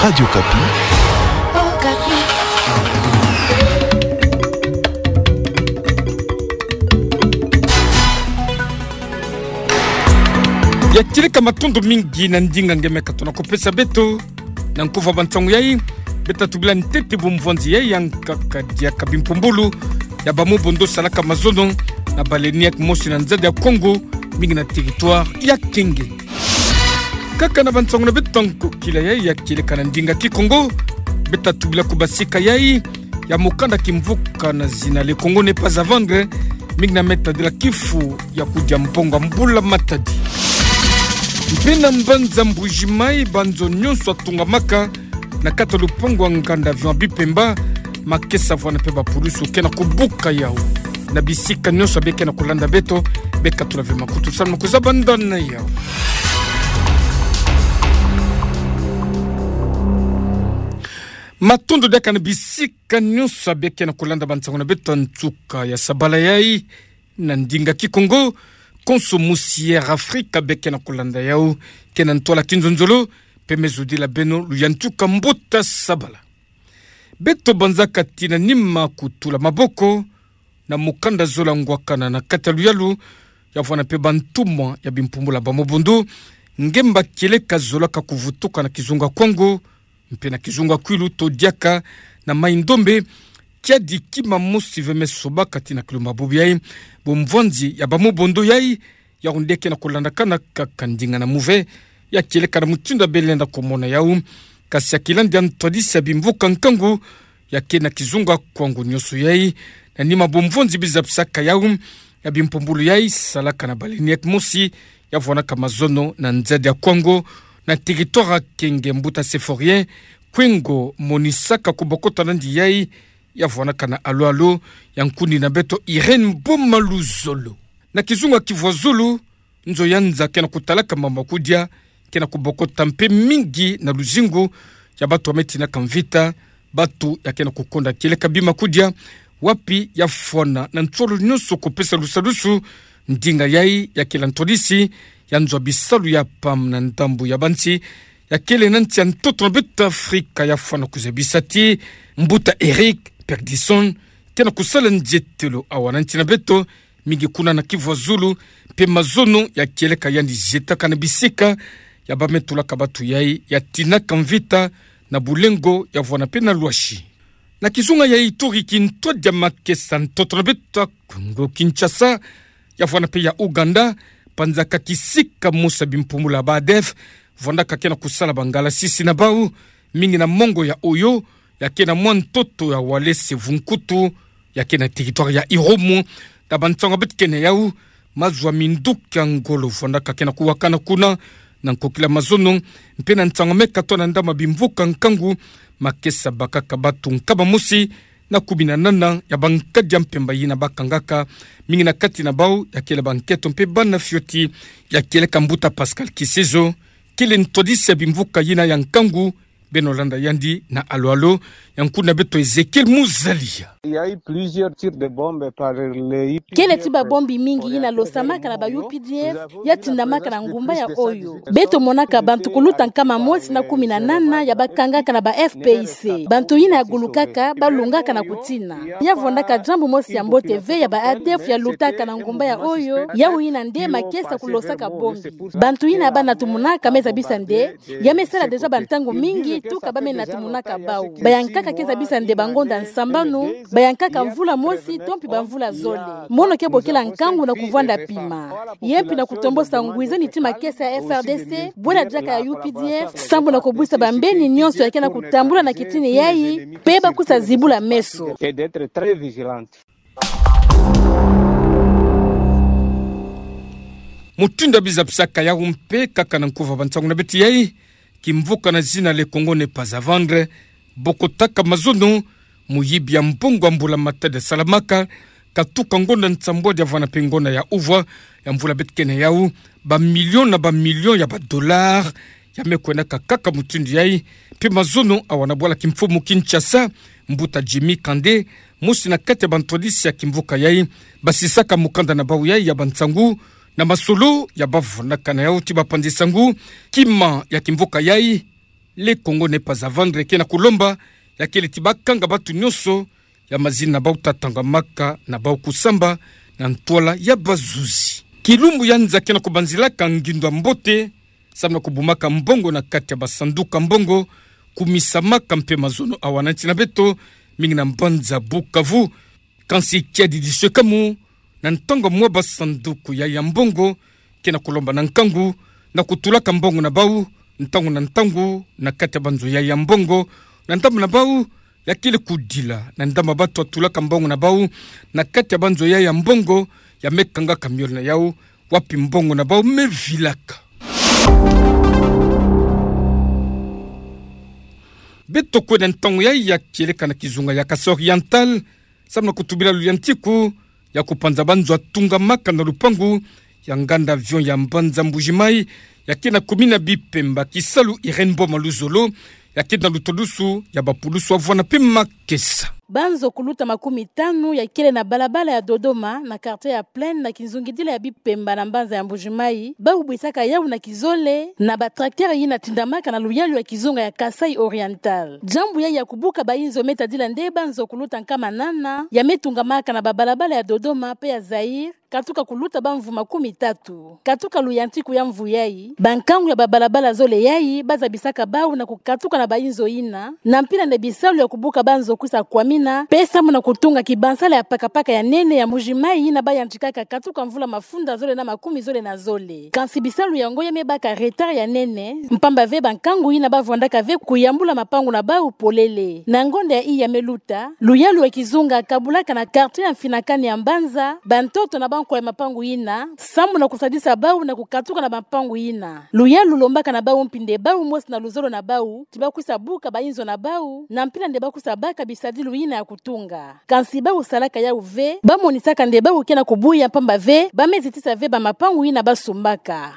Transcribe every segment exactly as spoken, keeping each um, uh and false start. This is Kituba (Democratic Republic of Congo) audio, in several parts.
Radio Okapi. Ya kieleka matondo mingi na ndinga ngemeka tona kupesa beto. Na nkuva bansangu yai, beta tubila ntete bumvwanzi yai yankaka diaka bimpumbulu ya bamobondo salaka mazono na baleine ya kimosi na nzadi ya Kongo, mingi na territoire ya Kenge. Kaka na bansangu na beto ya nkokila yai ya kieleka na ndinga Kikongo, beta tubila kubasika yai ya mokanda kimvuka na zina Le Congo n'est pas à vendre, mingi na meta de la kifu ya kudia mbongo ya mbula matadi. Mpe na mbanza Mbuji-Mayi, banzo nyonso ya tungamaka na kati ya lupangu ya nganda avion ya Bipemba, makesa vwana mpe bapulusu ke na kubuka yau. Na bisika nyonso beke na kulanda beto, bekatula ve makutu salu na kuzaba ndana yau. Matondo diaka na bisika nyonso beke na kulanda bansangu na beto ya nsuka ya sabala yai na ndinga Kikongo. Konso mosi ya Air Afrika beke na kulanda yau, ke na ntwala kinzonzolo, mpe me zodila beno luyantika mbuta sabala. Beto banzaka tina nima kutula maboko na mokanda zola ngwakana na kati ya luyalu, ya vwana mpe bantumwa ya bimpumbulu ya bamobondo, ngemba kieleka zolaka kuvutuka na kizunga Kwango, mpe na kizunga Kwilu to diaka na Maï-Ndombe, kiadi kima mosi ve me sobaka tina kilumba bobo yai, bumvwanzi ya bamobondo yai, yau nde ke na kulandakana kaka ndinga na muve, ya kieleka na mutindu ya belenda kumona yau, kasi ya kilandi ya ntwadisi ya bimvuka nkangu, ya ke na kizunga Kwango nyonso yai, na nima bumvwanzi bizapisaka yau, ya bimpumbulu yai salaka na baleine ya kimosi, ya vwanaka mazono na nzadi ya Kwango, na territoire ya Kenge, mbuta Symphorien Kwengo monisaka kubokota nandi yai, ya vwanaka na alo-alo ya nkundi na beto Irène Boma Luzolo. Na kizunga Kivu ya Zulu, nzo ya nza ke na kutalaka mama kudia, ke na kubokota mpe mingi na luzingu ya batu ya me tinaka mvita, batu ya ke na kukonda kieleka bima kudia, wapi ya fwana na nsolo nyonso kupesa lusadusu, ndinga yai ya kila ntwadisi ya nzo ya bisalu ya PAM na ndambu ya bansi ya kele na nsi ya ntoto na beto Afrika ya fwana kuzabisa ti mbuta Eric Perdison ke na kusala nzietelo awa na nsi na beto, mingi kuna na Kivu ya Zulu, mpe mazono ya kieleka yandi zietaka na bisika ya ba me tulaka batu yai ya tinaka mvita na bulengo ya vwana mpe na lwashi. Na kizunga ya Ituri, kintwadi ya makesa ntoto na beto Kongo Kinshasa, ya vwana mpe ya Ouganda, banzaka kisika mosi ya bimpumbulu ya ba ADF vandaka ke na kusala bangalasisi na bau, mingi na mongo ya Oyo, ya ke na mwa ntoto ya Walese Vunkutu, ya ke na territoire ya Irumu, na bansangu ya beto ke na yau, mazu ya minduki ya ngolo vandaka ke na kuwakana kuna, na nkokila mazono, mpe na nsangu me katwa na ndama bimvuka nkangu, makesa bakaka batu nkama mosi na kumi na nana ya bankadi ya mpemba yina bakangaka, mingi na kati na bau ya kele banketo mpe bana fioti, ya kieleka mbuta Pascal Kisizo, kele ntwadisi ya bimvuka yina ya nkangu, beno landa yandi na alo-alo ya nkundi na beto Ezekiel Muzalia. Kele ti babombi mingi yina losamaka na ba U P D F, ya tindamaka na ngumba ya Oyo. Beto monaka bantu kuluta nkama mosi na kumi na nana ya bakangaka na ba F P I C. Bantu yina ya gulukaka, balungaka na kutina. Ya vandaka diambu mosi ya mbote ve ya ba ADF ya lutaka na ngumba ya Oyo, yau yina nde makesa kulosaka bombi. Bantu yina ya bana tumonaka me zabisa nde, ya me sala déjà bantangu mingi tuka ba me na tumonaka bau. Bayankaka ke zabisa nde bangonda nsambanu, bayankaka mvula mosi to mpi bamvula zole. Mono ke bokila nkangu na kuvwanda pima, ye mpi na kutombosa ngwi zeni ti makesa ya F R D C, bwela diaka ya U P D F, sambu na kubwisa bambeni nyonso ya ke na kutambula na kitini yai, mpe bakusa zibula meso. Mutindu ya bizapisaka yau mpe kaka na nkuva bansangu na beto yai, kimvuka na zina Le Congo n'est pas à vendre, bokotaka mazono, muyibi ya mbongo ya mbula matadi ya salamaka, katuka ngonda nsambwadi ya vana mpe ngonda ya uvwa ya mvula beto ke na yau, ba millions na ba millions ya ba dollars, ya me kwendaka kaka mutindu yai, mpe mazono awa na bwala kimfumu Kinshasa, mbuta Jimmy Kande, mosi na kati ya bantwadisi ya kimvuka yai, basisaka mukanda na bau yai ya bansangu, na masolo ya bavunaka na yau ti bapanzi sangu, kima ya kimvuka yai, Le Congo n'est pas à vendre ke na kulomba ya kele ti bakanga batu nyonso ya mazina na bau ta tangamaka na bau kusamba na ntwala ya bazuzi. Kilumbu ya nza ke na kubanzilaka ngindu ya mbote, samu na kubumaka mbongo na kati ya basanduku ya mbongo, kumisamaka mpe mazono awa na nsi na beto, mingi na mbanza Bukavu. Kansi kiadi diso kamu, na ntangu mwa basanduku ya ya mbongo ke na kulomba na nkangu na kutulaka mbongo na bau ntangu na ntangu na kati ya banzo ya ya mbongo, na ndambu na bau ya kele kudila na ndambu batu batulaka mbongo na bau na kati ya banzo ya ya mbongo, ya me kangaka miole na yau, wapi mbongo na bau me vilaka. Beto kwe na ntangu ya ya kieleka na kizunga ya Kasaï Oriental, samu na kutubila luyantiku ya kupanza banzo ya tungamaka na lupangu ya nganda avion ya mbanza Mbuji-Mayi, ya ke na commune ya Bipemba, kisalu Irène Boma Luzolo, ya ke na lutwadusu ya bapulusu ya vwanda mpe makesa. Banzo kuluta makumi tanu ya kele na balabala ya Dodoma, na quartier ya Plaine, na kizungidila ya Bipemba na mbanza ya Mbuji-Mayi, bau bwisaka yau na kizole na ba tracteur yina tindamaka na luyalu ya kizunga ya Kasaï Oriental. Diambu ya ya kubuka bainzo me tadila nde banzo kuluta nkama nana ya me tungamaka na babalabala ya Dodoma mpe ya Zaïre, katuka kuluta bamvu makumi tatu. Katuka luyantiku ya mvu yayi, bankangu ya babalabala zole yayi bazabisaka bau na kukatuka na bainzo yina, na mpila nde bisalu ya kubuka banzo kwisa kwamina, mpe samu na kutunga kibansala ya pakapaka ya nene ya Mbuji-Mayi yina bayantikaka katuka mvula mafunda zole na makumi zole na zole. Kansi bisalu yango ya me baka retard ya nene, mpamba ve bankangu yina bavwandaka ve kuyambula mapangu na bau polele. Na ngonda ya iya me luta, luyalu ya kizunga kabulaka na quartier ya mfinakani ya mbanza bantoto na bankwa ya mapangu yina, samu na kusadisa bau na kukatuka na mapangu yina. Luyalu lombaka na bau mpi nde bau mosi na luzolo na bau ti bakwisa buka bainzo na bau, na mpila nde bakwisa baka bisadilu yina ya kutunga. Kansi bau salaka yau ve, bamonisaka nde bau ke na kubuya mpamba ve ba me zitisa ve bamapangu yina basumbaka.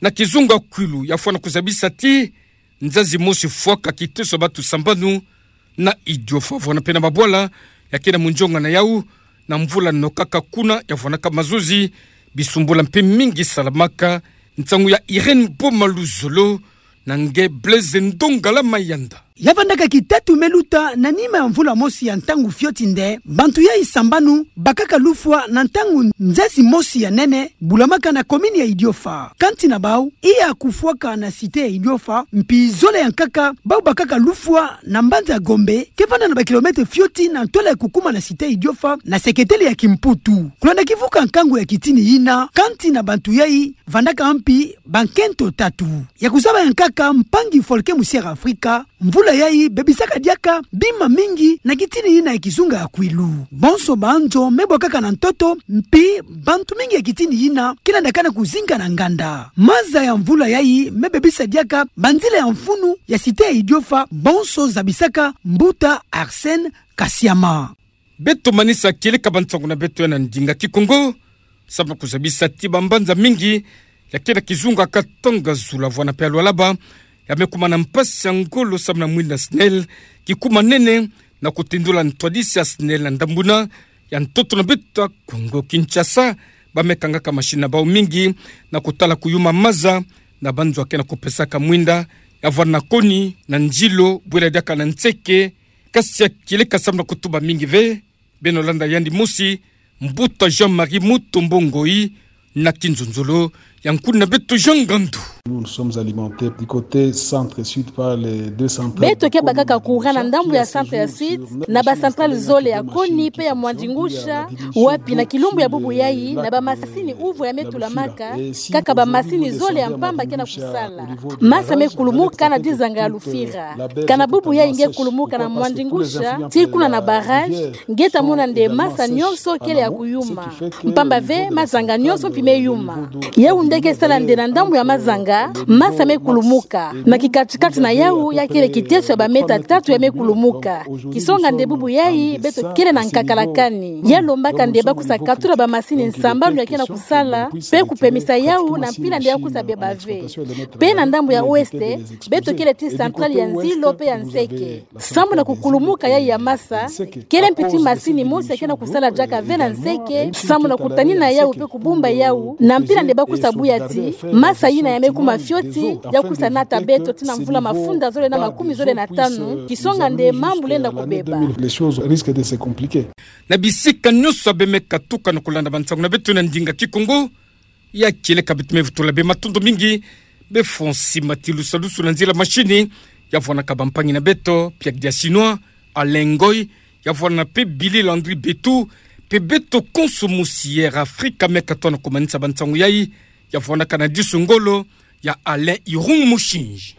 Na kizunga Kwilu, ya fwana kuzabisa ti nzazi mosi fwaka kiteso batu sambanu na Idiofa, vwanda mpe na mabwala ya ke na munzonga na yau, na mvula nokaka kuna ya vwanaka mazozi, bisumbula mpe mingi salamaka. Nsangu ya Irène Boma Luzolo na nge Blaise Ndongala Mayanda. Ya vandaka kitatu me luta na nima ya mvula mosi ya ntangu fioti nde bantu yayi sambanu bakaka lufwa na ntangu nzazi mosi ya nene bulamaka na commune ya Idiofa. Kansi na bau, iya kufwaka na cité ya Idiofa, mpi zole ya nkaka, bau bakaka lufwa na mbanza Gombe, ke vanda na ba kilomètre fioti na ntwala ya kukuma na cité ya Idiofa, na seketele ya Kimputu. Kulanda kivuka nkangu ya kitini yina, kansi na bantu yayi vandaka mpi bankento tatu. Ya kuzaba ya nkaka, mpangi Folke Musière Afrika, mvula yayi bebisaka diaka bima mingi na kitini yina ya kizunga ya Kwilu. Bonso banzo me bwakaka na ntoto, mpi bantu mingi ya kitini yina ke landaka na kuzinga na nganda. Maza ya mvula yayi me bebisa diaka banzila ya mfunu ya cité ya Idiofa, bonso zabisaka mbuta Arsène Kasiama. Beto manisa kieleka bansangu na beto ya na ndinga Kikongo, samu na kuzabisa ti bambanza mingi ya ke na kizunga Katanga, Zulu, vwanda mpe ya Lualaba, ya me kuma na mpasi ya ngolo samu na mwinda SNEL, kikuma nene na kutindula ntwadisi ya SNEL na ndambu yina ya ntoto na beto ya Kongo. Kinshasa, ba me kangaka machine na bau mingi na kutala kuyuma maza na banzo ya ke na kupesaka mwinda, ya vwanda na Koni, na Ndjilo, bwela diaka na Nseke. Kasi ya kieleka samu na kutuba mingi ve, beno landa yandi mosi, mbuta Jean-Marie Mutombo Ngoyi, na kinzonzolo ya nkuna na beto Jean Ngandu. Nous, nous sommes alimentés du côté centre-sud par les deux centrales. Beto ke bakaka courant na ndambu ya centre ya sud, na ba centrale zole ya Koni mpe ya Mwandingusha, wapi na kilumbu ya bubu yayi, na bamasini uvwa ya me tulamaka, kaka bamasini zole ya mpamba ke na kusala. Masa me kulumuka na dizanga ya Lufira. Kana bubu yayi nge kulumuka na Mwandingusha tii kuna na barrage, nge ta mona nde masa nyonso kele ya kuyuma. Mpamba ve mazanga nyonso mpi me yuma. Yau nde ke sala nde na ndambu ya mazanga, masa me kulumuka. Na kikatikati na yau ya kele kiteso ya ba mètre tatu ya me kulumuka. Kisonga nde bubu yayi beto kele na nkakalakani. Ya lombaka nde bakwisa katula bamasini nsambanu ya ke na kusala, mpe kupemisa yau na mpila nde ya kwisa beba ve. Mpe na ndambu ya ouest, beto kele tii centrale ya Nzilo mpe ya Nseke. Samu na kukulumuka yayi ya masa, kele mpi tii masini mosi ya ke na kusala diaka ve na Nseke, samu na kutanina yau mpe kubumba yau, na mpila nde bakwisa buya tii masa yina ya me Mafioti ya kusanata beto tii na mvula mafunda zole na makumi zole na tanu, kisonga nde mambu lenda kubeba. Na bisika nyonso ya bemeka tukana kulanda bansangu na beto na ndinga Kikongo, ya kieleka beto mevutula be matondo mingi, be fwa sima tii lusalusu na nzila mashini, ya vwanaka bampangi na beto, Pierre Diasinois, Alain Ngoy, ya vwanana pe Billy Landry Betu, pe beto konso mosi Air Africa meka tona kumanisa bansangu yayi, ya vwanaka na disu ngolo ya Alain Irung Mushinji.